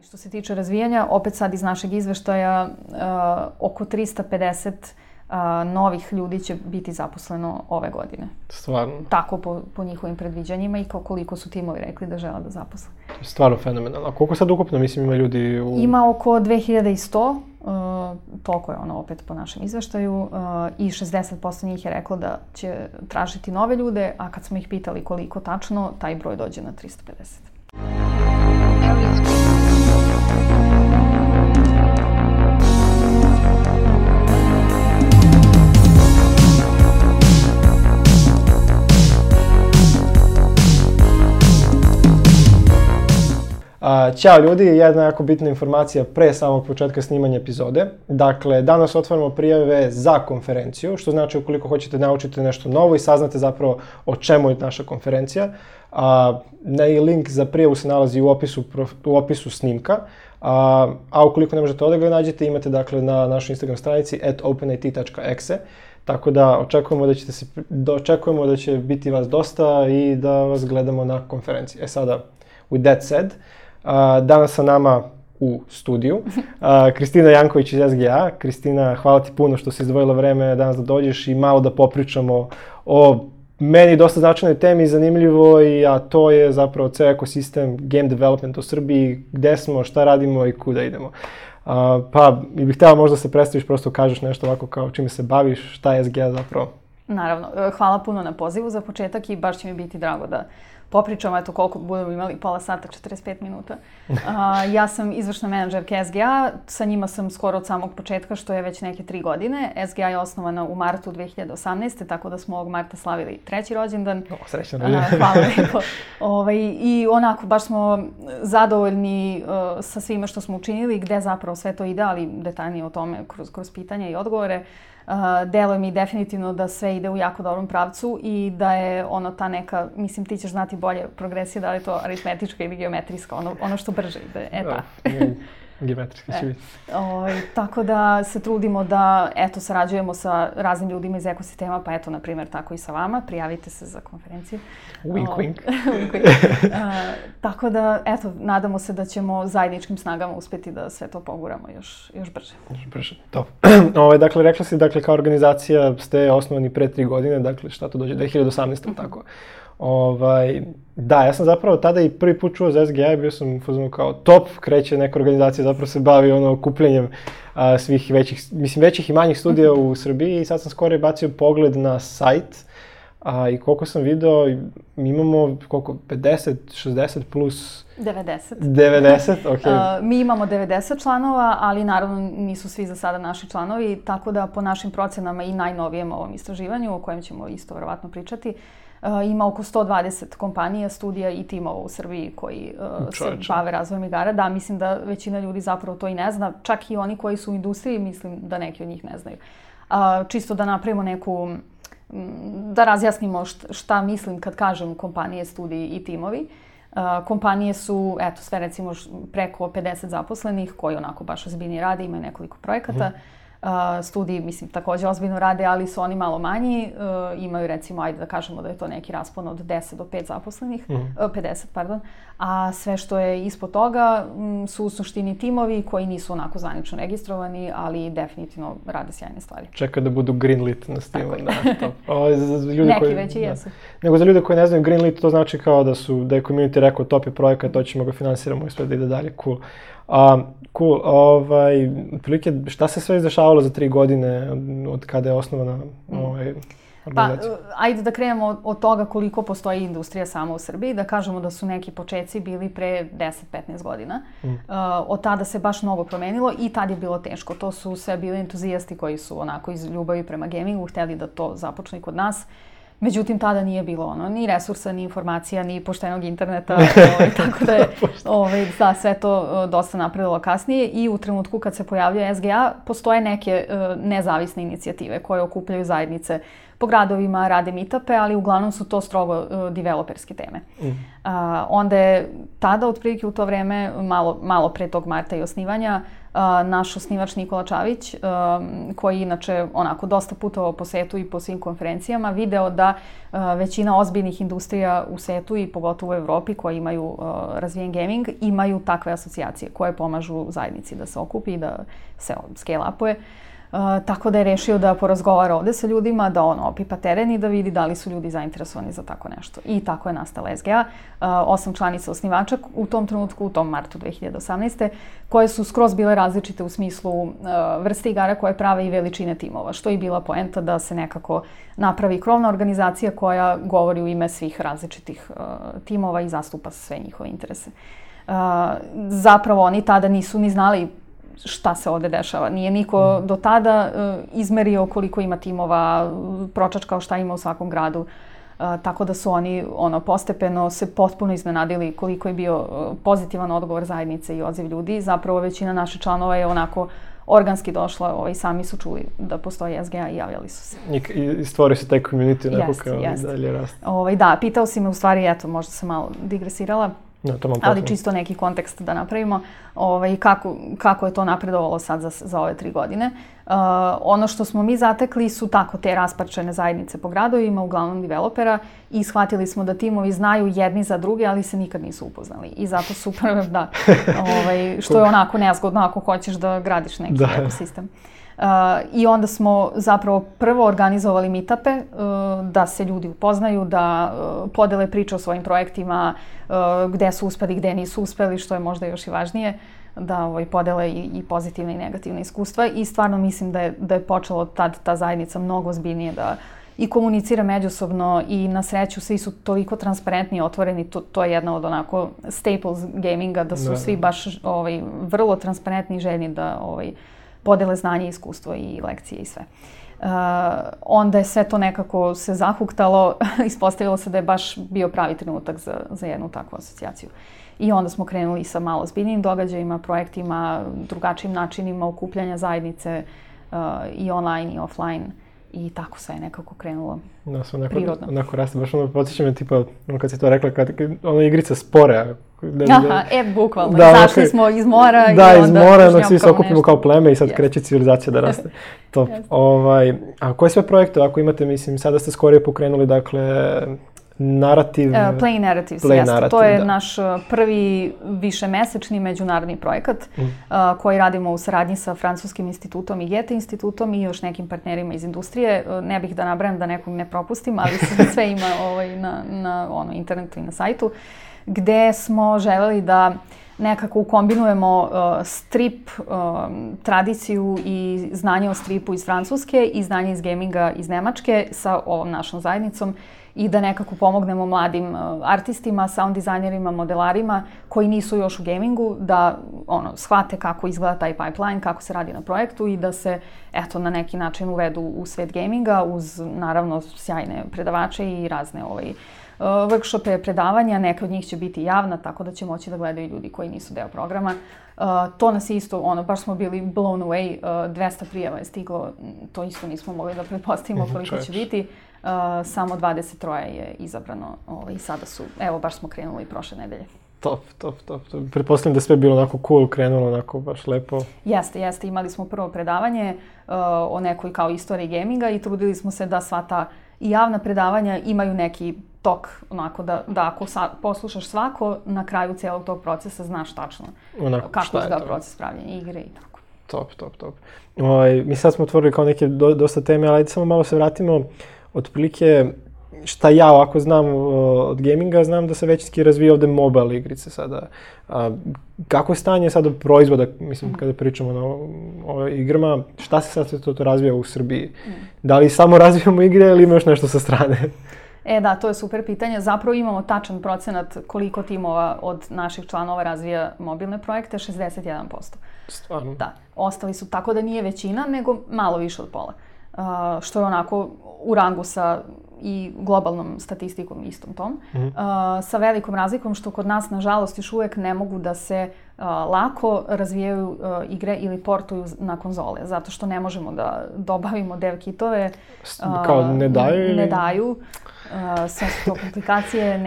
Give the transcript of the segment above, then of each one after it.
Što se tiče razvijanja, opet sad iz našeg izveštaja, oko 350 novih ljudi će biti zaposleno ove godine. Stvarno? Tako po njihovim predviđanjima i koliko su timovi rekli da žele da zaposle. Stvarno fenomenalno. A koliko sad ukupno, mislim, ima ljudi u... Ima oko 2100, toliko je ono opet po našem izveštaju, i 60% njih je reklo da će tražiti nove ljude, a kad smo ih pitali koliko tačno, taj broj dođe na 350. Ćao ljudi, jedna jako bitna informacija pre samog početka snimanja epizode. Dakle, danas otvaramo prijave za konferenciju, što znači ukoliko hoćete naučiti nešto novo i saznate zapravo o čemu je naša konferencija. Link za prijavu se nalazi u opisu snimka. A ukoliko ne možete ovdje ga nađete, imate dakle na našoj Instagram stranici @openit.exe. Tako da očekujemo da će biti vas dosta i da vas gledamo na konferenciji. Sada, with that said, danas sa nama u studiju Kristina Janković iz SGA. Kristina, hvala ti puno što si izdvojila vreme danas da dođeš i malo da popričamo o meni dosta značajnoj temi, zanimljivoj, a to je zapravo ceo ekosistem game development u Srbiji, gde smo, šta radimo i kuda idemo. Pa bih htjela možda se predstaviš, prosto kažeš nešto ovako kao čime se baviš, šta je SGA zapravo? Naravno, hvala puno na pozivu za početak i baš će mi biti drago da popričamo, eto koliko budemo imali, pola sata, 45 minuta. Ja sam izvršna menadžerka SGA, sa njima sam skoro od samog početka, što je već neke 3 godine. SGA je osnovana u martu 2018. Tako da smo ovog marta slavili 3. rođendan. Srećan rođendan. Hvala lepo. I onako, baš smo zadovoljni sa svime što smo učinili, gde zapravo sve to ide, ali detaljnije o tome kroz pitanja i odgovore. Deluje mi definitivno da sve ide u jako dobrom pravcu i da je ono ta neka, mislim ti ćeš znati bolje progresija, da li je to aritmetička ili geometrijska, ono što brže ide, Geometrijski će biti. Tako da se trudimo da, sarađujemo sa raznim ljudima iz ekosistema, pa na primjer tako i sa vama, prijavite se za konferenciju. Wink, wink. Tako da, nadamo se da ćemo zajedničkim snagama uspjeti da sve to poguramo još brže. Još brže, to. Dakle, rekla si, kao organizacija ste osnovani pre 3 godine, dakle, šta to dođe, 2018. tako. Da, ja sam zapravo tada i prvi put čuo za SGA i bio sam kao top, kreće neka organizacija, zapravo se bavi okupljanjem svih većih i manjih studija u Srbiji i sad sam skoro bacio pogled na sajt i koliko sam video, mi imamo 50, 60 plus... 90, okej. Mi imamo 90 članova, ali naravno nisu svi za sada naši članovi, tako da po našim procenama i najnovijem ovom istraživanju, o kojem ćemo isto verovatno pričati, ima oko 120 kompanija, studija i timova u Srbiji koji se bave razvojem igara. Da, mislim da većina ljudi zapravo to i ne zna. Čak i oni koji su u industriji, mislim da neki od njih ne znaju. Čisto da napravimo da razjasnimo šta mislim kad kažem kompanije, studiji i timovi. Kompanije su, sve recimo preko 50 zaposlenih koji onako baš ozbiljno rade, imaju nekoliko projekata. Studiji, mislim, također ozbiljno rade, ali su oni malo manji. Imaju, recimo, ajde da kažemo da je to neki raspon od 10 do 5 zaposlenih, 50, pardon. A sve što je ispod toga su u suštini timovi koji nisu onako zvanično registrovani, ali definitivno rade sjajne stvari. Čeka da budu greenlit na Steamu. Neki već i jesu. Nego za ljude koji ne znaju, greenlit to znači kao da je community rekao top je projekat, to ćemo ga finansiramo i sve da ide dalje, cool. Cool, otprilike šta se sve izdešavalo za 3 godine od kada je osnovana organizacija? Pa, ajde da krenemo od toga koliko postoji industrija sama u Srbiji, da kažemo da su neki počeci bili pre 10-15 godina. Od tada se baš mnogo promenilo i tad je bilo teško. To su sve bili entuzijasti koji su onako iz ljubavi prema gamingu htjeli da to započne kod nas. Međutim, tada nije bilo ni resursa, ni informacija, ni poštenog interneta, tako da je sve to dosta napredilo kasnije i u trenutku kad se pojavljuje SGA postoje neke nezavisne inicijative koje okupljaju zajednice po gradovima, rade meetupe, ali uglavnom su to strogo developerske teme. Onda je tada, otprilike u to vreme, malo pre tog marta i osnivanja, naš osnivač Nikola Čavić, koji inače onako dosta putovao po svetu i po svim konferencijama, video da većina ozbiljnih industrija u svetu i pogotovo u Evropi koji imaju razvijen gaming, imaju takve asocijacije koje pomažu zajednici da se okupi i da se scale-upuje. Tako da je rešio da porazgovara ovde sa ljudima, da opipa teren i da vidi da li su ljudi zainteresovani za tako nešto. I tako je nastala SGA, 8 članica osnivača u tom trenutku, u tom martu 2018. koje su skroz bile različite u smislu vrste igara koje prave i veličine timova, što je bila poenta da se nekako napravi krovna organizacija koja govori u ime svih različitih timova i zastupa sve njihove interese. Zapravo oni tada nisu ni znali šta se ovde dešava. Nije niko do tada izmerio koliko ima timova, pročačkao šta ima u svakom gradu. Tako da su oni postepeno se potpuno iznenadili koliko je bio pozitivan odgovor zajednice i odziv ljudi. Zapravo većina naših članova je onako organski došla, sami su čuli da postoji SGA i javljali su se. I stvori se taj community onako kao dalje raste. Da, pitao si me u stvari, eto, možda sam malo digresirala. Ali čisto neki kontekst da napravimo kako je to napredovalo sad za ove 3 godine. Ono što smo mi zatekli su tako te rasparčene zajednice po gradovima, uglavnom developera, i shvatili smo da timovi znaju jedni za druge, ali se nikad nisu upoznali. I zato su što je onako nezgodno ako hoćeš da gradiš neki ekosistem. I onda smo zapravo prvo organizovali meetupe da se ljudi upoznaju, da podele priče o svojim projektima, gde su uspeli, gde nisu uspeli, što je možda još i važnije, da podele i pozitivne i negativne iskustva. I stvarno mislim da je počelo tad ta zajednica mnogo ozbiljnije da i komunicira međusobno i na sreću svi su toliko transparentni i otvoreni. To je jedna od onako staples gaminga, da su svi baš vrlo transparentni i željni da podele znanje, iskustvo i lekcije i sve. Onda je sve to nekako se zahuktalo, ispostavilo se da je baš bio pravi trenutak za jednu takvu asocijaciju. I onda smo krenuli sa malo ozbiljnijim događajima, projektima, drugačijim načinima okupljanja zajednice i online i offline. I tako sve je nekako krenulo prirodno. Onako raste, baš podsjeća me tipa, kad si to rekla, igrica Spore. Bukvalno. Zašli smo iz mora i onda... iz mora, svi se okupimo kao pleme i sad kreće civilizacija da raste. Top. A koje sve projekte ako imate, mislim, sada ste skorije pokrenuli, dakle, Play Narratives, jeste. To je naš prvi višemesečni međunarodni projekat koji radimo u saradnji sa Francuskim institutom i Goethe institutom i još nekim partnerima iz industrije. Ne bih da nabrajam da nekog ne propustim, ali sve ima na internetu i na sajtu, gde smo želeli da nekako ukombinujemo strip, tradiciju i znanje o stripu iz Francuske i znanje iz gaminga iz Nemačke sa ovom našom zajednicom i da nekako pomognemo mladim artistima, sound dizajnerima, modelarima koji nisu još u gamingu, da shvate kako izgleda taj pipeline, kako se radi na projektu i da se na neki način uvedu u svet gaminga uz naravno sjajne predavače i razne workshope, predavanja. Neke od njih će biti javna, tako da će moći da gledaju ljudi koji nisu deo programa. To nas je isto, baš smo bili blown away, 200 prijava je stiglo, to isto nismo mogli da pretpostavimo koliko će biti. Samo 23 je izabrano i sada su, evo baš smo krenuli prošle nedelje. Top. Pretpostavljam da je sve bilo onako cool, krenulo onako baš lepo. Jeste. Imali smo prvo predavanje o nekoj kao istoriji gaminga i trudili smo se da sva ta i javna predavanja imaju neki tok, onako da ako poslušaš svako, na kraju cijelog tog procesa znaš tačno kako izgleda proces pravljenja igre i tako. Top. Mi sad smo otvorili kao neke dosta teme, ali ajde samo malo se vratimo. Otprilike, šta ja ovako znam od gaminga, znam da se većinski razvija ovde mobile igrice sada. Kako je stanje sada proizvoda, mislim, kada pričamo o igrama, šta se sad to razvija u Srbiji? Da li samo razvijamo igre ili ima još nešto sa strane? Da, to je super pitanje. Zapravo imamo tačan procenat koliko timova od naših članova razvija mobilne projekte, 61%. Stvarno? Da, ostali su tako da nije većina, nego malo više od pola. Što je onako u rangu sa i globalnom statistikom istom tom. Sa velikom razlikom što kod nas, nažalost, još uvijek ne mogu da se lako razvijaju igre ili portuju na konzole, zato što ne možemo da dobavimo dev kitove. Kao ne daju? Ne daju. Sve su to komplikacije,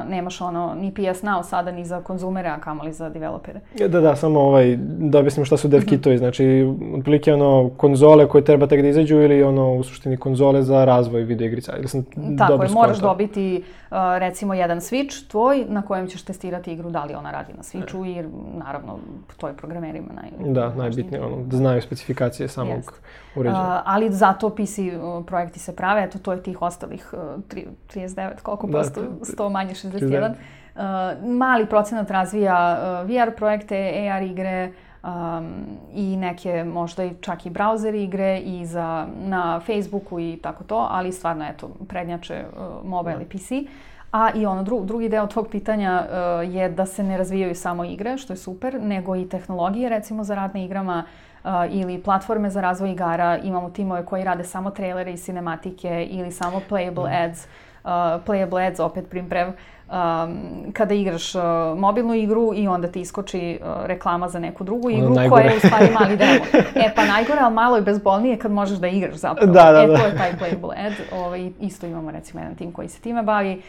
nemaš ni PS Now sada ni za konzumere, a kamoli za developere. Da, samo da objasnim šta su dev kitovi, znači otprilike konzole koje treba tek da izađu ili u suštini konzole za razvoj video igrica. Tako je, moraš dobiti recimo jedan Switch tvoj na kojem ćeš testirati igru, da li ona radi na Switchu i naravno to je programerima najbitnije, da znaju specifikacije samog uređaja. Ali zato PC projekti se prave, eto to je tih ostalih 39, koliko posto, 100 manje 61. Mali procenat razvija VR projekte, AR igre i neke možda čak i browser igre i na Facebooku i tako to, ali stvarno eto prednjače mobile i PC. A i drugi deo tvog pitanja je da se ne razvijaju samo igre, što je super, nego i tehnologije recimo za rad na igrama ili platforme za razvoj igara. Imamo timove koji rade samo trailere i cinematike ili samo playable ads. Playable ads, opet primprev, kada igraš mobilnu igru i onda ti iskoči reklama za neku drugu igru koja je u stvari mali demo. Pa najgore, ali malo je bezbolnije kad možeš da igraš zapravo. To je taj playable ad. Isto imamo recimo jedan tim koji se time bavi.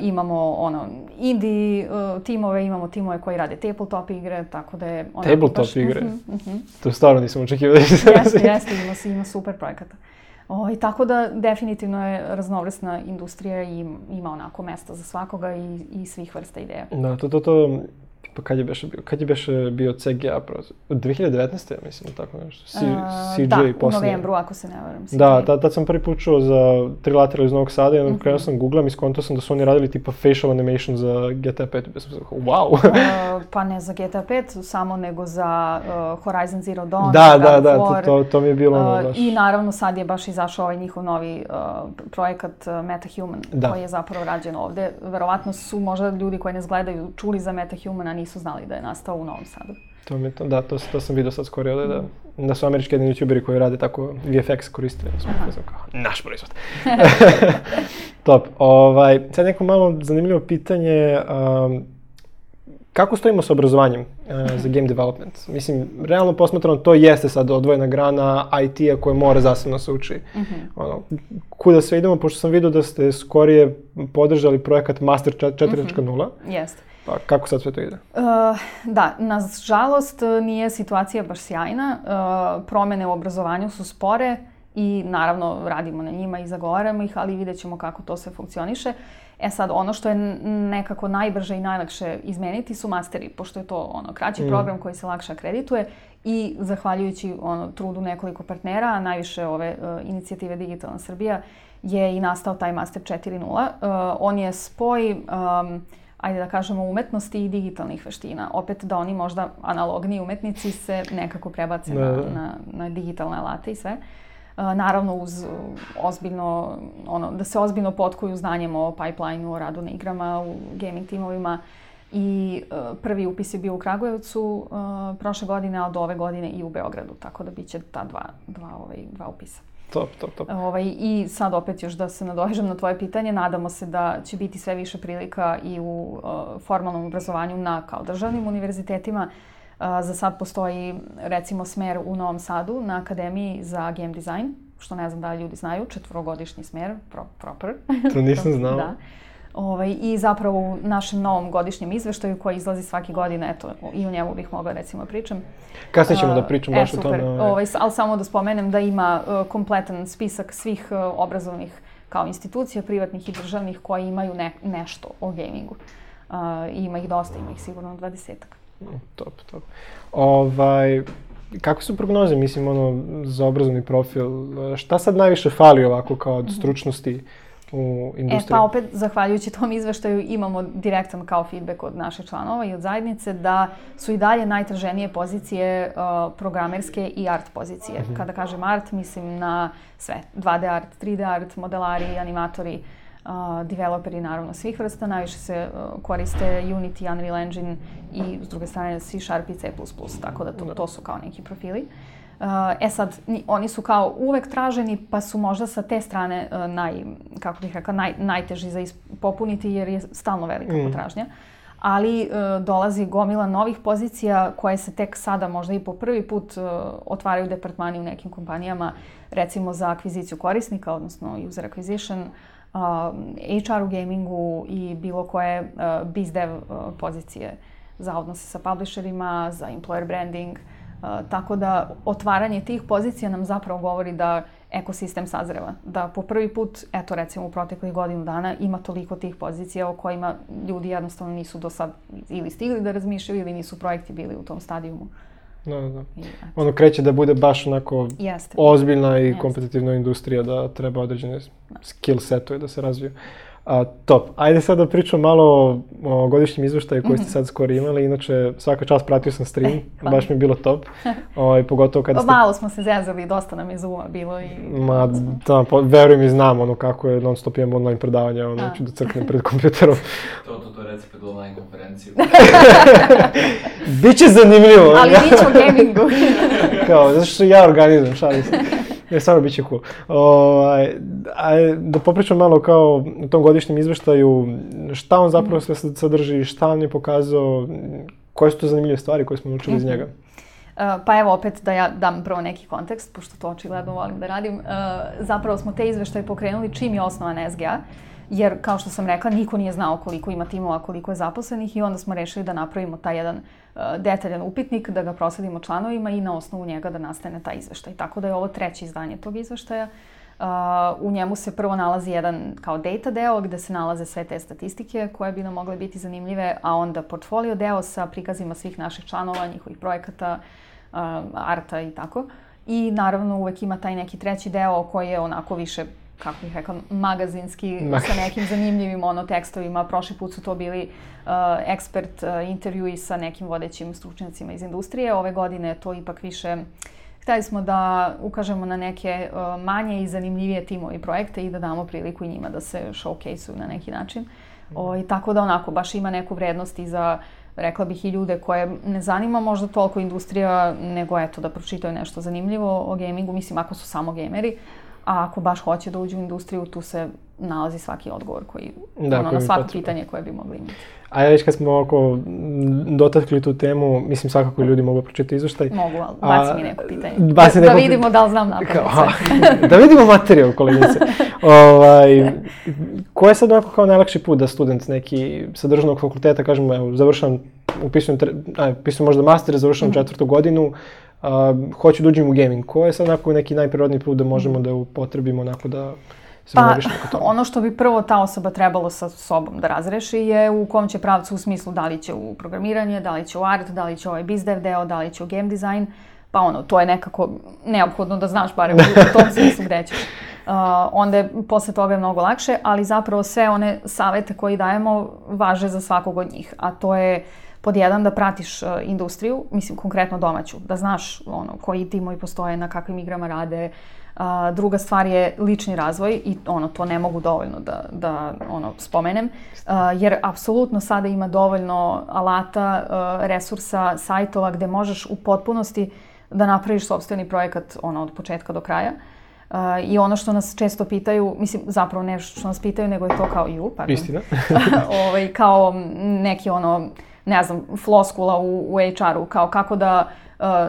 Imamo indie timove, imamo timove koji rade tabletop igre, tako da je... Tabletop igre? To stvarno nisam očekivao da se... Jeste, ima super projekata. Tako da definitivno je raznovrsna industrija i ima onako mesta za svakoga i svih vrsta ideja. Da, pa kad je beše bio CGA, 2019. ja mislim, tako nešto, CJ poslije. Da, u novembru, ako se ne varam. Da, tad sam prvi put čuo za Trilateral iz Novog Sada i onda krenuo sam googlam i skontao sam da su oni radili tipa facial animation za GTA 5. Wow! Pa ne za GTA 5 samo, nego za Horizon Zero Dawn. Da, to mi je bilo baš. I naravno sad je baš izašao ovaj njihov novi projekat MetaHuman, koji je zapravo rađen ovde. Verovatno su možda ljudi koji nas gledaju čuli za MetaHuman, a nisu znali da je nastao u Novom Sadu. To sam vidio sad skoro ovdje, da su američki jedni youtuberi koji rade tako VFX koristili. Naš proizvod. Top. Sad neko malo zanimljivo pitanje. Kako stojimo sa obrazovanjem za game development? Mislim, realno posmatrano, to jeste sad odvojena grana IT-a koja mora zasebno se uči. Kuda sve idemo, pošto sam vidio da ste skorije podržali projekat Master 4.0. Jeste. Pa kako sad sve to ide? Da, nažalost nije situacija baš sjajna. Promjene u obrazovanju su spore i naravno radimo na njima i zagovaramo ih, ali vidjet ćemo kako to sve funkcioniše. Sad, ono što je nekako najbrže i najlakše izmeniti su masteri, pošto je to kraći program koji se lakše akredituje i zahvaljujući trudu nekoliko partnera, a najviše ove inicijative Digitalna Srbija, je i nastao taj Master 4.0. On je spoj ajde da kažemo, umetnosti i digitalnih veština. Opet da oni možda analogni umetnici se nekako prebace na digitalne alate i sve. Naravno uz ozbiljno, da se ozbiljno potkuju znanjem o pipeline-u, o radu na igrama, u gaming timovima. I prvi upis je bio u Kragujevcu prošle godine, a od ove godine i u Beogradu. Tako da bit će ta dva upisa. Top. I sad opet još da se nadovežem na tvoje pitanje, nadamo se da će biti sve više prilika i u formalnom obrazovanju na kao državnim univerzitetima. Za sad postoji recimo smer u Novom Sadu na Akademiji za game design, što ne znam da ljudi znaju, 4-godišnji smer, proper. To nisam znao. Da. I zapravo u našem novom godišnjem izveštaju koji izlazi svake godine, eto, i o njemu bih mogla recimo pričam. Kasnije ćemo da pričam baš o tome. Ali samo da spomenem da ima kompletan spisak svih obrazovnih kao institucija, privatnih i državnih, koji imaju nešto o gamingu. Ima ih dosta, ima ih sigurno 20-ak. Top. Kako su prognoze, mislim, za obrazovni profil? Šta sad najviše fali ovako kao od stručnosti u industriji? Pa opet, zahvaljujući tom izveštaju, imamo direktan kao feedback od naših članova i od zajednice da su i dalje najtraženije pozicije programerske i art pozicije. Kada kažem art, mislim na sve. 2D art, 3D art, modelari, animatori, developeri naravno svih vrsta. Najviše se koriste Unity, Unreal Engine i s druge strane C# i C++, tako da to su kao neki profili. Sad, oni su kao uvek traženi, pa su možda sa te strane najteži za popuniti jer je stalno velika potražnja. Ali dolazi gomila novih pozicija koje se tek sada možda i po prvi put otvaraju departmani u nekim kompanijama, recimo za akviziciju korisnika, odnosno user acquisition, HR u gamingu i bilo koje biz dev pozicije za odnose sa publisherima, za employer branding. Tako da otvaranje tih pozicija nam zapravo govori da ekosistem sazreva. Da po prvi put, eto recimo u proteklih godinu dana, ima toliko tih pozicija o kojima ljudi jednostavno nisu do sad ili stigli da razmišljaju ili nisu projekti bili u tom stadijumu. Da. Ono kreće da bude baš onako ozbiljna i kompetitivna industrija, da treba određene skill setove da se razviju. Top. Ajde sad da pričam malo o godišnjem izveštaju koji ste sad skoro imali. Inače, svaka čast pratio sam stream, baš mi je bilo top. Pogotovo kada ste... Malo smo se zezali, dosta nam je Zooma bilo i... Verujem i znam ono kako je non stop imam online predavanja, ću da crknem pred kompjuterom. To reci pred online konferenciju. Biće zanimljivo. Ali biće o gamingu. Zato što ja organizujem, šalim se. Stvarno bit će cool. Da popričam malo kao u tom godišnjem izveštaju, šta on zapravo sve sadrži, šta on je pokazao, koje su to zanimljive stvari koje smo naučili iz njega? Pa evo opet da ja dam prvo neki kontekst, pošto to očigledno volim da radim. Zapravo smo te izveštaje pokrenuli čim je osnovan SGA, jer kao što sam rekla, niko nije znao koliko ima timova, koliko je zaposlenih i onda smo rešili da napravimo taj jedan detaljan upitnik, da ga prosledimo članovima i na osnovu njega da nastane taj izveštaj. Tako da je ovo 3. izdanje tog izveštaja. U njemu se prvo nalazi jedan kao data deo gde se nalaze sve te statistike koje bi nam mogle biti zanimljive, a onda portfolio deo sa prikazima svih naših članova, njihovih projekata, arta i tako. I naravno uvek ima taj neki 3. deo koji je onako više, kako bih rekla, magazinski, sa nekim zanimljivim tekstovima. Prošli put su to bili ekspert intervjui sa nekim vodećim stručnjacima iz industrije. Ove godine to ipak više... Hteli smo da ukažemo na neke manje i zanimljivije timove i projekte i da damo priliku i njima da se showcase-uju na neki način. Tako da onako baš ima neku vrednost i za, rekla bih, i ljude koje ne zanima možda toliko industrija, nego eto da pročitaju nešto zanimljivo o gamingu, mislim ako su samo gameri. A ako baš hoće da uđu u industriju, tu se nalazi svaki odgovor koji, na svako pitanje koje bi mogli imati. A već kad smo dotakli tu temu, mislim svakako ljudi mogu pročitati izveštaj. Mogu, ali baci mi neko pitanje. Da vidimo da li znam napamet sve. Da vidimo materijal, koleginice. Ko je sad onako kao najlakši put da student neki sa državnog fakulteta, kažemo, evo, završam, upisujem možda master, završam 4. godinu, hoću da uđem u gaming. Ko je sad onako neki najprirodniji put da možemo da upotrebimo onako da se moviš neko tome? Ono što bi prvo ta osoba trebalo sa sobom da razreši je u kom će pravcu, u smislu da li će u programiranje, da li će u art, da li će ovaj biz dev deo, da li će u game design. Pa to je nekako neophodno da znaš barem u tom smislu gde ćeš. Onda je posle toga mnogo lakše, ali zapravo sve one savete koje dajemo važe za svakog od njih. A to je pod jedan da pratiš industriju, mislim konkretno domaću, da znaš koji timovi postoje, na kakvim igrama rade. Druga stvar je lični razvoj i to ne mogu dovoljno da spomenem, jer apsolutno sada ima dovoljno alata, resursa, sajtova gde možeš u potpunosti da napraviš sopstveni projekat od početka do kraja. I ono što nas često pitaju, mislim zapravo ne što nas pitaju, nego je to kao Istina. kao neki ne znam, floskula u HR-u, kao kako da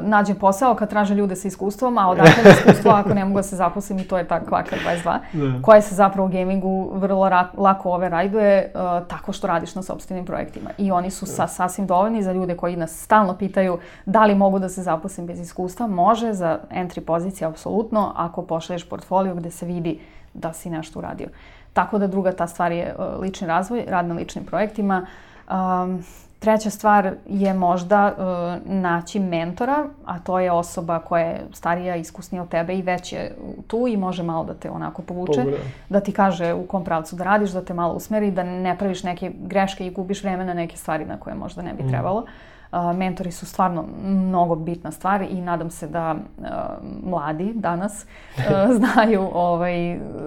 nađem posao kad traže ljude sa iskustvom, a odakle da iskustvo ako ne mogu da se zaposlim i to je ta kvaka 22, koja se zapravo u gamingu vrlo lako overrajduje tako što radiš na sopstvenim projektima. I oni su sasvim dovoljni za ljude koji nas stalno pitaju da li mogu da se zaposlim bez iskustva. Može, za entry pozicije apsolutno, ako pošalješ portfolio gde se vidi da si nešto uradio. Tako da druga ta stvar je lični razvoj, rad na ličnim projektima. Treća stvar je možda naći mentora, a to je osoba koja je starija, iskusnija od tebe i već je tu i može malo da te onako povuče, da ti kaže u kom pravcu da radiš, da te malo usmeri, da ne praviš neke greške i gubiš vreme na neke stvari na koje možda ne bi trebalo. Mentori su stvarno mnogo bitna stvar i nadam se da mladi danas znaju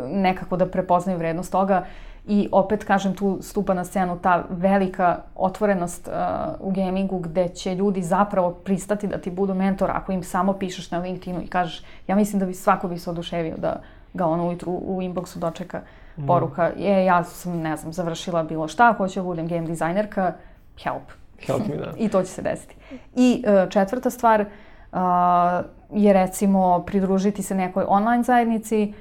nekako da prepoznaju vrednost toga. I opet, kažem, tu stupa na scenu ta velika otvorenost u gamingu gde će ljudi zapravo pristati da ti budu mentor ako im samo pišeš na LinkedInu i kažeš, ja mislim da svako bi se oduševio da ga ujutru u inboxu dočeka poruka, ja sam, ne znam, završila bilo šta, hoću da budem game dizajnerka, help. Help me, da. I to će se desiti. I četvrta stvar, je recimo pridružiti se nekoj online zajednici.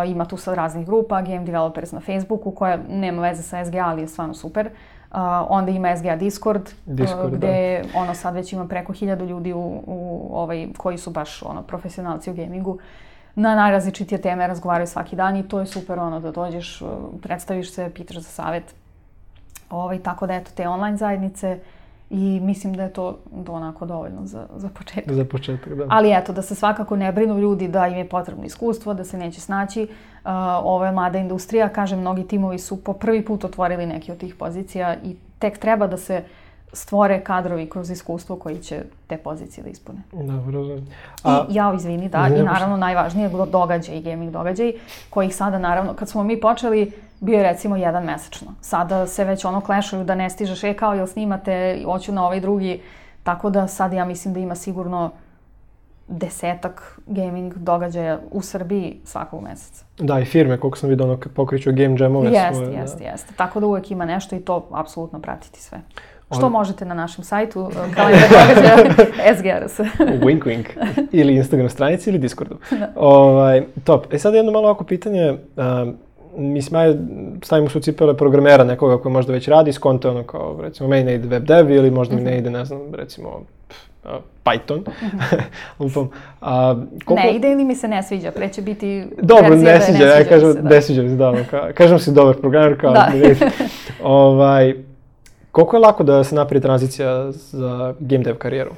Ima tu sad raznih grupa, Game Developers na Facebooku, koja nema veze sa SGA, ali je stvarno super. Onda ima SGA Discord gde sad već ima preko 1000 ljudi koji su baš profesionalci u gamingu. Na najrazličitije teme razgovaraju svaki dan i to je super da dođeš, predstaviš se, pitaš za savjet. Tako da eto, te online zajednice i mislim da je to onako dovoljno za početak. Za početak, da. Ali eto, da se svakako ne brinu ljudi da im je potrebno iskustvo, da se neće snaći. Ovo je mlada industrija, kažem, mnogi timovi su po prvi put otvorili neke od tih pozicija i tek treba da se stvore kadrovi kroz iskustvo koji će te pozicije da ispune. Dobro. Izvini, da, i naravno najvažnije događaj, gaming događaj, kojih sada naravno, kad smo mi počeli, bio je recimo jedan mesečno. Sada se već klešuju da ne stižeš, kao jel snimate, hoću na ovaj drugi, tako da sad ja mislim da ima sigurno 10 gaming događaja u Srbiji svakog meseca. Da, i firme, koliko sam vidio, pokreću game jamove svoje. Jeste. Tako da uvek ima nešto i to apsolutno pratiti sve. Što možete na našem sajtu, kalendar događaja SGRS. Wink, wink. Ili Instagram stranici ili Discordu. Top. Sad jedno malo ovako pitanje. Mislim, stavimo se u cipele programera nekoga koji možda već radi, skonto kao, recimo, meni ne ide web dev ili možda mi ne ide, ne znam, recimo, Python. Ne ide ili mi se ne sviđa, pre će biti dobro, verzija ne sviđa, ja kažem, ne sviđa mi se, da. Kažem si dobar programer, kao ne ide. Koliko je lako da se napravi tranzicija za game dev karijeru?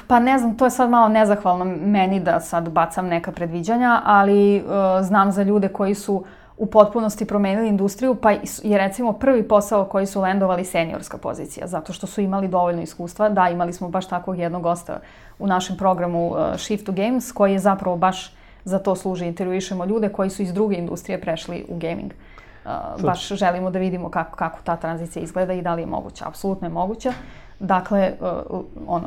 Pa ne znam, to je sad malo nezahvalno meni da sad bacam neka predviđanja, ali znam za ljude koji su u potpunosti promenili industriju, pa je recimo prvi posao koji su landovali seniorska pozicija, zato što su imali dovoljno iskustva. Da, imali smo baš takvog jednog gosta u našem programu Shift to Games, koji je zapravo baš za to služi. Intervjuišemo ljude koji su iz druge industrije prešli u gaming. Baš želimo da vidimo kako ta tranzicija izgleda i da li je moguća. Apsolutno je moguća. Dakle,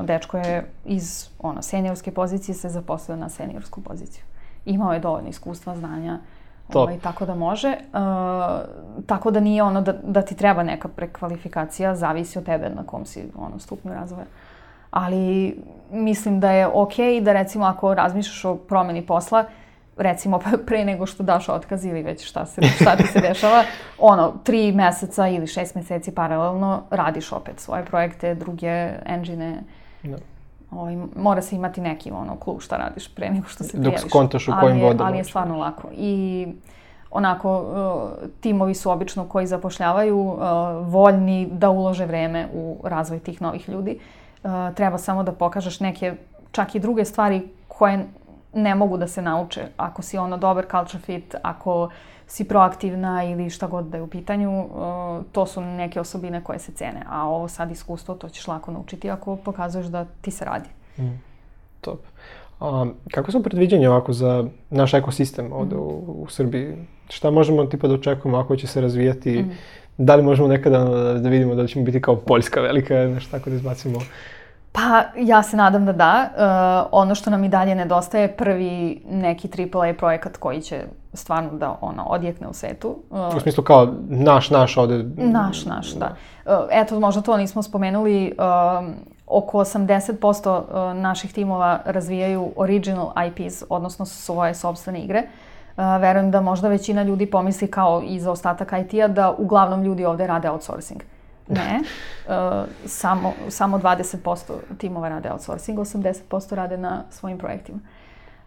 dečko je iz seniorske pozicije se zaposlio na seniorsku poziciju. Imao je dovoljno iskustva, znanja, tako da može. Tako da nije da ti treba neka prekvalifikacija, zavisi od tebe na kom si stupnju razvoja. Ali mislim da je okej da recimo ako razmišljaš o promeni posla, recimo pre nego što daš otkaz ili već šta ti se dešava, 3 meseca ili 6 meseci paralelno radiš opet svoje projekte, druge engine. Mora se imati neki clue šta radiš pre nego što se prijaviš. Dok skontaš u kojim vodama. Ali je stvarno lako. I timovi su obično koji zapošljavaju voljni da ulože vreme u razvoj tih novih ljudi. Treba samo da pokažeš neke čak i druge stvari koje ne mogu da se nauče. Ako si dobar culture fit, ako si proaktivna ili šta god da je u pitanju, to su neke osobine koje se cene. A ovo sad iskustvo, to ćeš lako naučiti ako pokazuješ da ti se radi. Top. Kako su predviđanja ovako za naš ekosistem ovde u Srbiji? Šta možemo tipa da očekujemo ako će se razvijati? Da li možemo nekada da vidimo da ćemo biti kao Poljska velika, nešto tako da izbacimo? Pa ja se nadam da da. Ono što nam i dalje nedostaje je prvi neki AAA projekat koji će stvarno da odjekne u svetu. U smislu kao naš ovde? Naš, da. Eto, možda to nismo spomenuli. Oko 80% naših timova razvijaju original IPs, odnosno svoje sopstvene igre. Verujem da možda većina ljudi pomisli kao i za ostatak IT-a da uglavnom ljudi ovde rade outsourcing. Ne, samo 20% timova rade outsourcing, 80% rade na svojim projektima.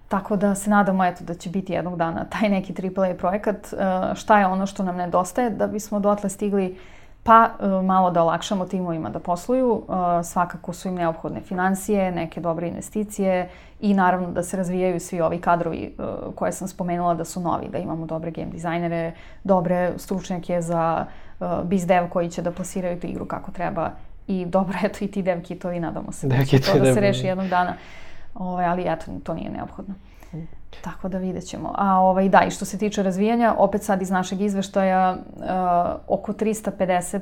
Tako da se nadamo da će biti jednog dana taj neki AAA projekat. Šta je ono što nam nedostaje da bismo dotle stigli? Pa malo da olakšamo timovima da posluju. Svakako su im neophodne finansije, neke dobre investicije i naravno da se razvijaju svi ovi kadrovi koje sam spomenula da su novi, da imamo dobre game dizajnere, dobre stručnjake za biz dev koji će da plasiraju tu igru kako treba i dobro, i ti dev kitovi, nadamo se da će to da se reši jednog dana, ali to nije neophodno. Tako da vidjet ćemo. Da, i što se tiče razvijanja, opet sad iz našeg izveštaja oko 350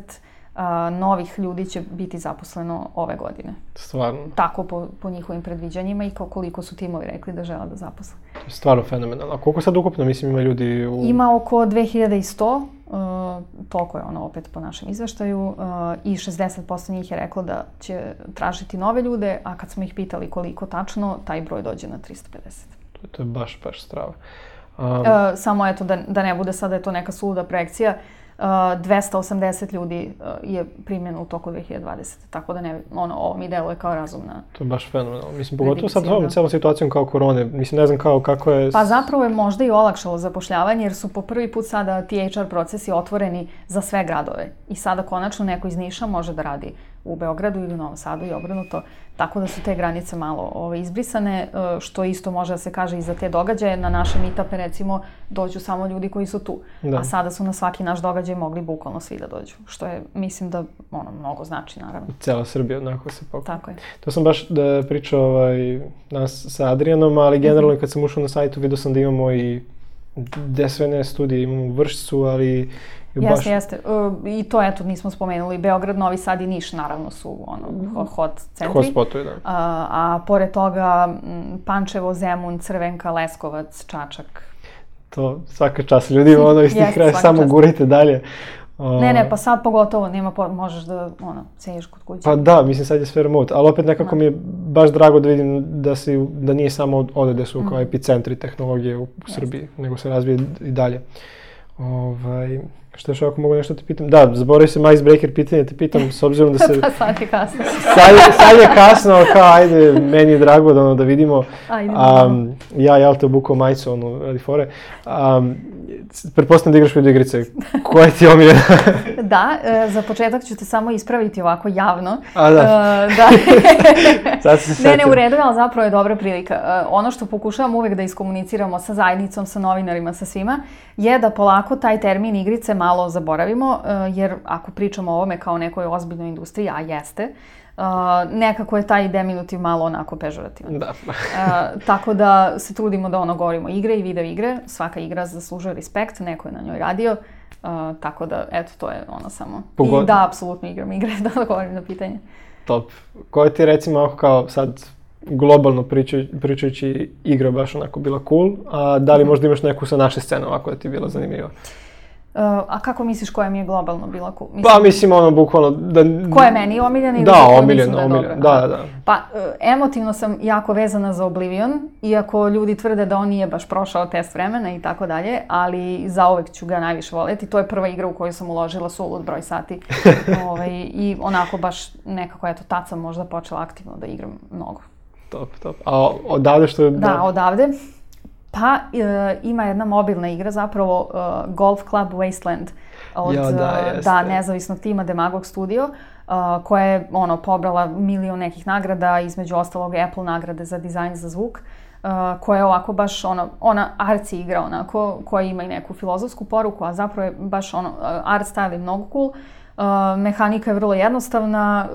novih ljudi će biti zaposleno ove godine. Stvarno. Tako po njihovim predviđanjima i koliko su timovi rekli da žele da zaposle. Stvarno fenomenalno. A koliko sad ukupno, mislim, ima ljudi u... Ima oko 2100, toliko je ono opet po našem izveštaju, i 60% njih je reklo da će tražiti nove ljude, a kad smo ih pitali koliko tačno, taj broj dođe na 350. To je baš strava. Samo eto, da ne bude sada je to neka suluda projekcija, 280 ljudi je primljeno u toku 2020. Tako da ovo mi deluje kao razumna. To je baš fenomenalno. Mislim, pogotovo sad s ovom celom situacijom kao korone. Mislim, ne znam kako je... Pa zapravo je možda i olakšalo zapošljavanje, jer su po prvi put sada ti HR procesi otvoreni za sve gradove. I sada konačno neko iz Niša može da radi u Beogradu ili u Novom Sadu i obrnuto. Tako da su te granice malo izbrisane, što isto može da se kaže i za te događaje. Na naše meetupe, recimo, dođu samo ljudi koji su tu. Da. A sada su na svaki naš događaj mogli bukvalno svi da dođu. Što je, mislim da, mnogo znači, naravno. Cela Srbija onako se pokuša. Tako je. To sam baš pričao nas sa Adrijanom, ali generalno kad sam ušao na sajtu vidio sam da imamo i gde sve ne studije, imamo u Vršcu, ali... Jeste. I to, eto, nismo spomenuli. Beograd, Novi Sad i Niš, naravno, su hot centri. Hot spotovi, da. A pored toga, Pančevo, Zemun, Crvenka, Leskovac, Čačak. To svaka čast ljudi, iz tih kraja samo gurite dalje. Ne, pa sad pogotovo, možeš da, sediš kod kuće. Pa da, mislim sad je sve remote, ali opet nekako mi je baš drago da vidim da nije samo ovde gde su kao epicentri tehnologije u Srbiji, nego se razvije i dalje. Što još ako mogu nešto te pitam? Da, zaboravio sam icebreaker pitanje, te pitam s obzirom da se... Pa sad je kasno. Sad je kasno, kao ajde, meni je drago da vidimo. Ja te obukao majicu, radi fore. Pretpostavljam da igraš video igrice. Koja ti je omiljena? Da, za početak ću te samo ispraviti ovako javno. Da. Sad se setim. Ne, u redu, ali zapravo je dobra prilika. Ono što pokušavam uvek da iskomuniciramo sa zajednicom, sa novinarima, sa svima, je da polako taj termin igrice malo zaboravimo, jer ako pričamo o ovome kao nekoj ozbiljnoj industriji, a jeste, nekako je taj deminutiv malo onako pežorativan. Da. Tako da se trudimo da govorimo igre i video igre. Svaka igra zaslužuje respekt, neko je na njoj radio. Tako da, eto, to je samo. I da, apsolutno igram igre, da odgovorim na pitanje. Top. Koja ti recimo kao sad globalno pričajući igra baš onako bila cool, a da li možda imaš neku sa naše scene ovako da ti je bila zanimljiva? A kako misliš koja mi je globalno bila cool? Pa mislim bukvalno da... Koja je meni omiljena ili koja mislim da je dobra? Da. Pa emotivno sam jako vezana za Oblivion, iako ljudi tvrde da on nije baš prošao test vremena i tako dalje, ali zauvek ću ga najviše voljeti. To je prva igra u koju sam uložila sulud broj sati. I onako baš nekako, eto, tad sam možda počela aktivno da igram mnogo. Top. A odavde što je... Da, odavde. Pa ima jedna mobilna igra, zapravo Golf Club Wasteland od nezavisnog tima Demagog Studio, koja je pobrala milion nekih nagrada, između ostalog Apple nagrade za dizajn za zvuk, koja je ovako baš ona arci igra onako, koja ima i neku filozofsku poruku, a zapravo je baš art style je mnogo cool, mehanika je vrlo jednostavna,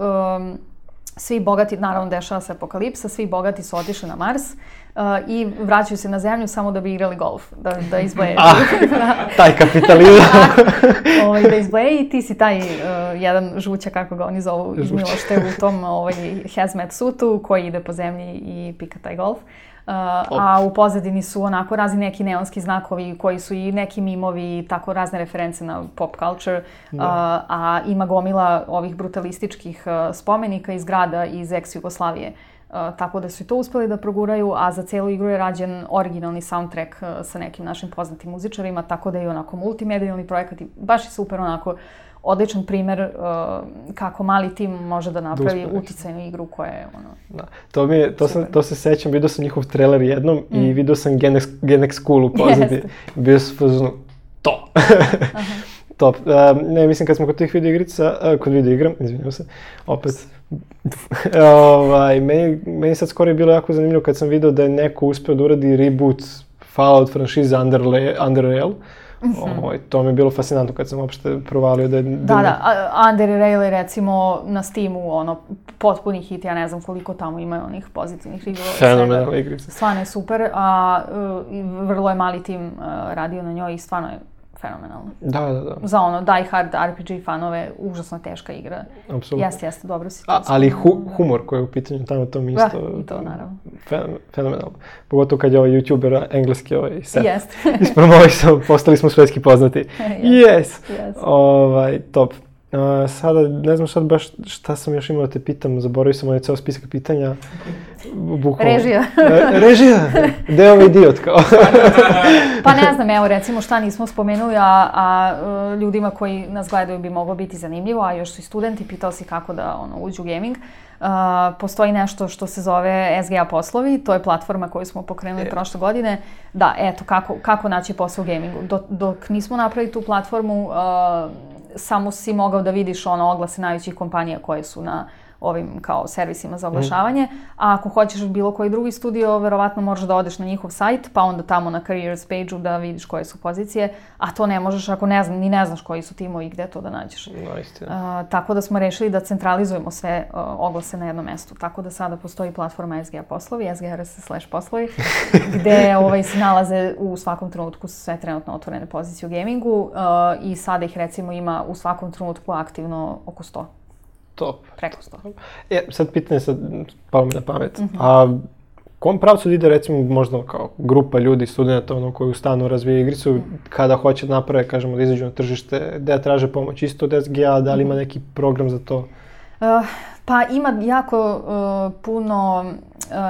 svi bogati, naravno dešava se apokalipsa, svi bogati su otišli na Mars i vraćaju se na Zemlju samo da bi igrali golf, da izbleje. Taj kapitalizam. Da izbleje i ti si taj jedan žuća, kako ga oni zovu, iz Milošte u tom hazmat sutu koji ide po zemlji i pika taj golf. A u pozadini su onako razni neki neonski znakovi koji su i neki mimovi i tako razne reference na pop culture, a ima gomila ovih brutalističkih spomenika iz grada iz ex-Jugoslavije. Tako da su i to uspeli da proguraju, a za celu igru je rađen originalni soundtrack sa nekim našim poznatim muzičarima, tako da je onako multimedijalni projekat i baš je super onako odličan primer kako mali tim može da napravi uticajnu igru koja je To se sećam, vidio sam njihov trailer jednom i vidio sam Gen X School u pozadini. Bio sam fazonu, to! Top. Ne, mislim kad smo kod tih video igra, izvinjam se, opet. Meni sad skoro je bilo jako zanimljivo kad sam vidio da je neko uspeo da uradi reboot Fallout franšize Under Rail. To mi je bilo fascinantno kad sam uopšte provalio da je... Da, Under Rail je recimo na Steamu potpuni hit, ja ne znam koliko tamo ima onih pozitivnih rigova. Fenomenalna igrica. Stvarno je super, a vrlo je mali tim radio na njoj i stvarno je fenomenalno. Da. Za ono die hard RPG fanove, užasno teška igra. Apsolutno. Jeste, dobro si to. Ali humor koji je u pitanju tamo, to mi isto... Da, i to naravno. Fenomenalno. Pogotovo kad je ovaj YouTuber engleski set Jeste. ispromovisao, postali smo svetski poznati. Yes! Top. Sada, ne znam sad baš šta sam još imao da te pitam, zaboravio sam onaj ceo spisak pitanja. Režija. Režija? Gde je ovaj idiot kao? Pa ne znam, evo recimo šta nismo spomenuli, a ljudima koji nas gledaju bi moglo biti zanimljivo, a još su i studenti, pitao si kako da uđu u gaming. Postoji nešto što se zove SGA poslovi, to je platforma koju smo pokrenuli prošle godine. Da, eto, kako naći posao u gamingu. Dok nismo napravili tu platformu, samo si mogao da vidiš oglase najvećih kompanija koje su na ovim kao servisima za oglašavanje, a ako hoćeš bilo koji drugi studio, verovatno možeš da odeš na njihov sajt, pa onda tamo na careers page-u da vidiš koje su pozicije, a to ne možeš ako ne znaš koji su timovi i gde to da nađeš. Tako da smo rešili da centralizujemo sve oglase na jednom mestu, tako da sada postoji platforma SGA poslovi, sgrs/poslovi, gde se nalaze u svakom trenutku sve trenutno otvorene pozicije u gamingu i sada ih recimo ima u svakom trenutku aktivno oko 100. Top. Preko 100. Sad pitanje palo mi na pamet. A kom pravcu ide recimo možda kao grupa ljudi, studenta koji u stanu razvije igricu, kada hoće da naprave, kažemo da izađu na tržište, da traže pomoć isto od SGA, da li ima neki program za to? Pa ima jako puno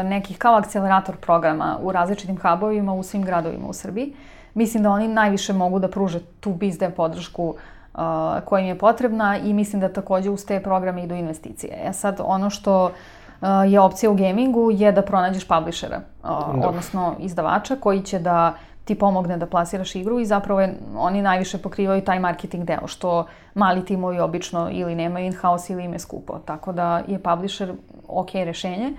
nekih kao akcelerator programa u različitim hubovima u svim gradovima u Srbiji. Mislim da oni najviše mogu da pruže tu biz dev podršku koja im je potrebna i mislim da takođe uz te programe idu investicije. Sad, ono što je opcija u gamingu je da pronađeš publishera, odnosno izdavača koji će da ti pomogne da plasiraš igru i zapravo oni najviše pokrivaju taj marketing deo, što mali timovi obično ili nemaju in-house ili im je skupo. Tako da je publisher ok rešenje.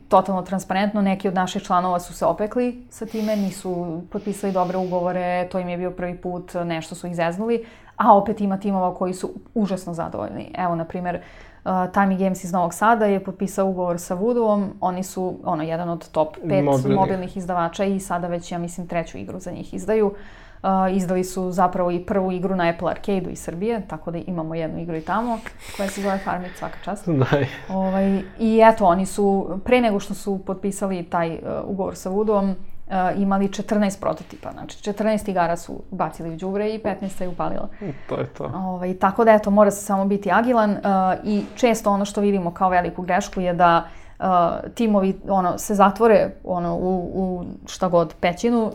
Totalno transparentno, neki od naših članova su se opekli sa time, nisu potpisali dobre ugovore, to im je bio prvi put, nešto su ih zeznuli, a opet ima timova koji su užasno zadovoljni. Evo, na primjer, Tiny Games iz Novog Sada je potpisao ugovor sa Voodoo-om, oni su jedan od top 5 mobilnih izdavača i sada već, ja mislim, 3. igru za njih izdaju. Izdali su zapravo i prvu igru na Apple Arcade-u iz Srbije, tako da imamo jednu igru i tamo, koja se zove Farmit, svaka čast. I eto, oni su, pre nego što su potpisali taj ugovor sa Voodoo-om, imali 14 prototipa, znači 14 igara su bacili u đubre i 15 je upalila. To je to. Tako da eto, mora se samo biti agilan i često ono što vidimo kao veliku grešku je da timovi se zatvore u šta god pećinu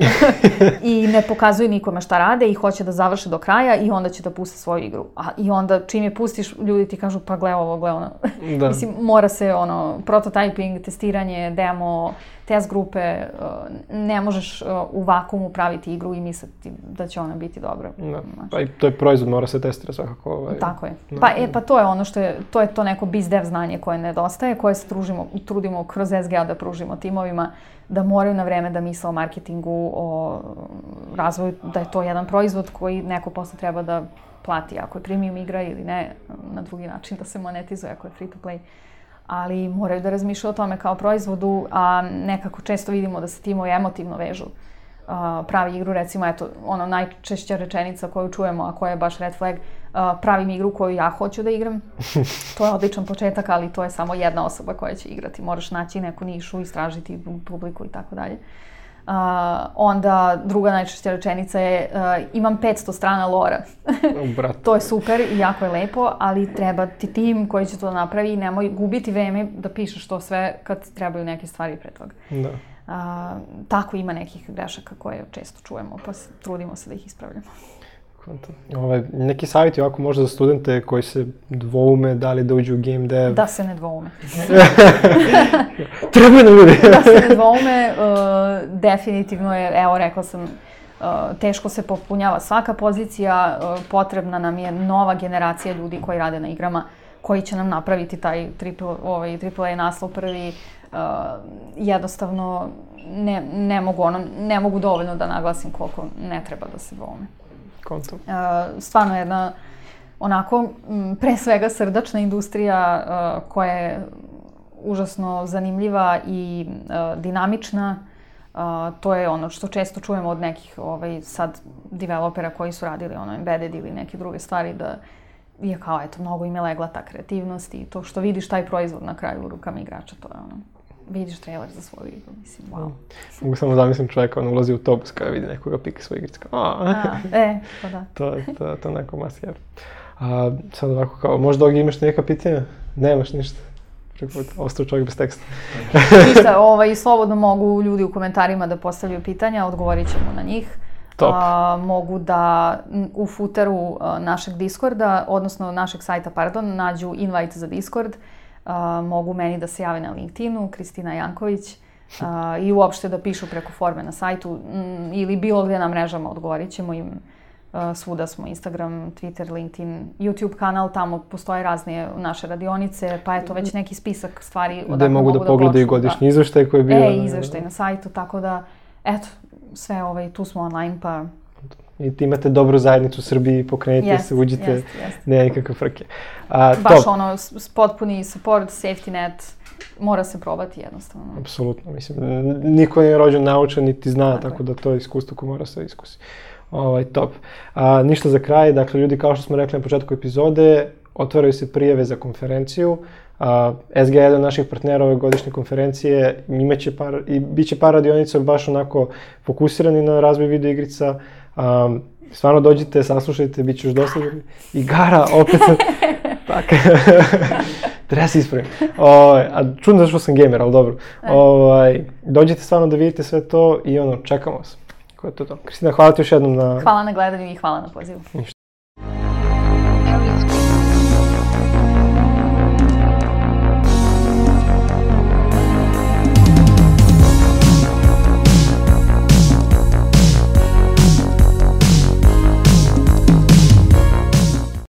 i ne pokazuju nikome šta rade i hoće da završe do kraja i onda će da puste svoju igru. I onda čim je pustiš, ljudi ti kažu pa gle ovo, gle ono. Mislim, mora se prototyping, testiranje, demo, test grupe, ne možeš u vakuumu praviti igru i misliti da će ona biti dobra. Pa i to je proizvod, mora se testirati svakako. Tako je. Pa to je ono što je, to je to neko biz dev znanje koje nedostaje, koje se trudimo kroz SGA da pružimo timovima, da moraju na vreme da misle o marketingu, o razvoju, da je to jedan proizvod koji neko posle treba da plati, ako je premium igra ili ne, na drugi način da se monetizuje, ako je free to play. Ali moraju da razmišljaju o tome kao proizvodu, a nekako često vidimo da se timovi emotivno vežu. Pravi igru, recimo, eto, najčešća rečenica koju čujemo, a koja je baš red flag, pravim igru koju ja hoću da igram. To je odličan početak, ali to je samo jedna osoba koja će igrati. Moraš naći neku nišu, istražiti publiku i tako dalje. Onda druga najčešća rečenica je imam 500 strana lora. To je super i jako je lepo, ali treba ti tim koji će to napravi i nemoj gubiti vreme da pišeš to sve kad trebaju neke stvari pre toga. Tako ima nekih grešaka koje često čujemo, pa trudimo se da ih ispravljamo. Neki savjeti ovako možda za studente koji se dvoume da li da uđu u game dev? Da se ne dvoume. Trebaju nam ljudi. Da se ne dvoume, definitivno je, evo rekla sam, teško se popunjava svaka pozicija, potrebna nam je nova generacija ljudi koji rade na igrama, koji će nam napraviti taj AAA naslov prvi. Jednostavno ne mogu dovoljno da naglasim koliko ne treba da se dvoume. Stvarno jedna onako pre svega srdačna industrija koja je užasno zanimljiva i dinamična To je ono što često čujemo od nekih sad developera koji su radili embedded ili neke druge stvari, da je kao, eto, mnogo im je legla ta kreativnost i to što vidiš taj proizvod na kraju u rukama igrača, to je vidiš trailer za svoju igru, mislim, wow. Mogu samo zamislim čovjeka, ulazi u autobus kada vidi nekoga pika svoju igricu, pa da. To je neko must have. Sad ovako kao, možda ovdje imaš neka pitanja? Nemaš ništa. Ostao čovjek bez teksta. Ništa, slobodno mogu ljudi u komentarima da postavljaju pitanja, odgovorit ćemo na njih. Mogu da u footeru našeg Discorda, odnosno našeg sajta, nađu invite za Discord. Mogu meni da se jave na LinkedInu, Kristina Janković, i uopšte da pišu preko forme na sajtu ili bilo gdje na mrežama, odgovorit ćemo im. Svuda smo, Instagram, Twitter, LinkedIn, YouTube kanal, tamo postoje razne naše radionice, pa eto već neki spisak stvari gde mogu da pogledaju godišnji izveštaj koji je bio. Izveštaj na sajtu, tako da, eto, sve tu smo online, pa... I imate dobru zajednicu u Srbiji, pokrenite se, uđite, nema nikakve frke. Baš potpuni support, safety net, mora se probati jednostavno. Apsolutno, mislim, niko nije rođen naučen niti zna, tako da to je iskustvo koje mora se iskusi. Top. Ništa za kraj, dakle, ljudi, kao što smo rekli na početku epizode, otvaraju se prijave za konferenciju. SG je jedan od naših partnera ove godišnje konferencije, bit će par radionica baš onako fokusirani na razvoj videoigrica. Stvarno dođite, saslušajte, bit će još dosta igara, opet tako. Treba se ispravim. Čudno zašto sam gamer, ali dobro. Dođite stvarno da vidite sve to i čekamo vas. Ko je to? Kristina, hvala ti još jednom na... Hvala na gledanju i hvala na pozivu.